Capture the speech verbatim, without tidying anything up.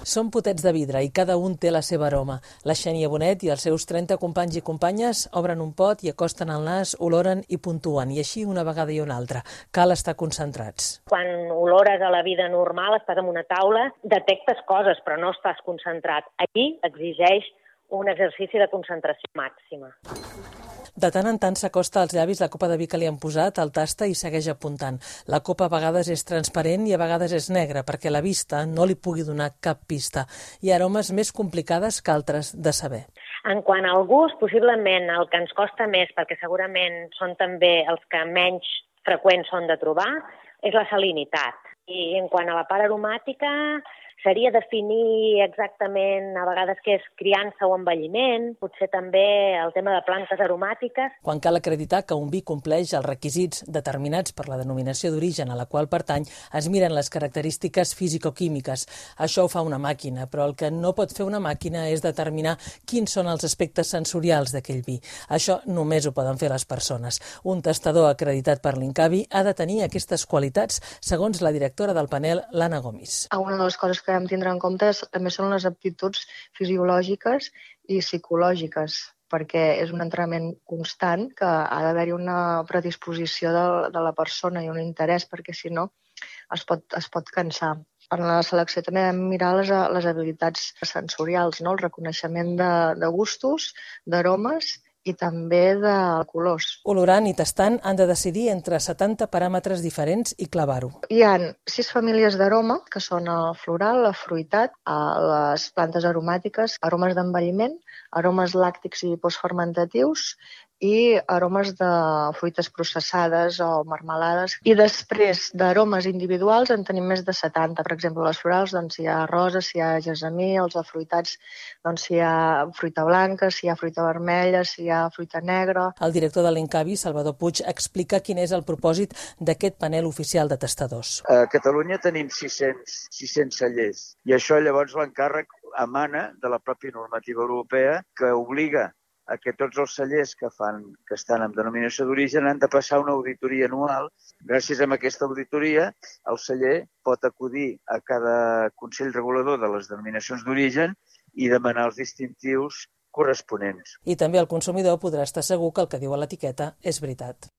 Són potets de vidre i cada un té la seva aroma. La Xènia Bonet i els seus trenta companys i companyes obren un pot i acosten el nas, oloren i puntuen, i així una vegada i una altra. Cal estar concentrats. Quan olores a la vida normal, estàs en una taula, detectes coses, però no estàs concentrat. Aquí exigeix un exercici de concentració màxima. De tant en tant s'acosta als llavis la copa de vi que li han posat, el tasta i segueix apuntant. La copa a vegades és transparent i a vegades és negra, perquè la vista no li pugui donar cap pista. Hi ha aromes més complicades que altres de saber. En quant al gust, possiblement el que ens costa més, perquè segurament són també els que menys freqüents són de trobar, és la salinitat. I en quant a la part aromàtica, seria definir exactament a vegades què és criança o envelliment, potser també el tema de plantes aromàtiques. Quan cal acreditar que un vi compleix els requisits determinats per la denominació d'origen a la qual pertany, es miren les característiques físico-químiques. Això ho fa una màquina, però el que no pot fer una màquina és determinar quins són els aspectes sensorials d'aquell vi. Això només ho poden fer les persones. Un tastador acreditat per l'Incavi ha de tenir aquestes qualitats, segons la directora del panel, l'Anna Gomis. Una de les coses que hem de tindre en compte també són les aptituds fisiològiques i psicològiques, perquè és un entrenament constant que ha d'haver-hi una predisposició de, de la persona i un interès, perquè si no es pot, es pot cansar. En la selecció també hem de mirar les, les habilitats sensorials, no? El reconeixement de, de gustos, d'aromes i també de colors. Olorant i tastant han de decidir entre setanta paràmetres diferents i clavar-ho. Hi ha sis famílies d'aroma, que són el floral, el fruitat, les plantes aromàtiques, aromes d'envelliment, aromes làctics i postfermentatius i aromes de fruites processades o marmelades. I després d'aromes individuals en tenim més de setanta. Per exemple, les florals, doncs, hi ha roses, si hi ha gessamí, els afruitats, doncs, si hi ha fruita blanca, si hi ha fruita vermella, si hi ha fruita negra. El director de l'Incavi, Salvador Puig, explica quin és el propòsit d'aquest panel oficial de tastadors. A Catalunya tenim sis-cents, sis-cents cellers i això llavors l'encàrrec emana de la pròpia normativa europea que obliga a que tots els cellers que fan que estan en denominació d'origen han de passar una auditoria anual. Gràcies a aquesta auditoria, el celler pot acudir a cada Consell Regulador de les denominacions d'origen i demanar els distintius corresponents. I també el consumidor podrà estar segur que el que diu a l'etiqueta és veritat.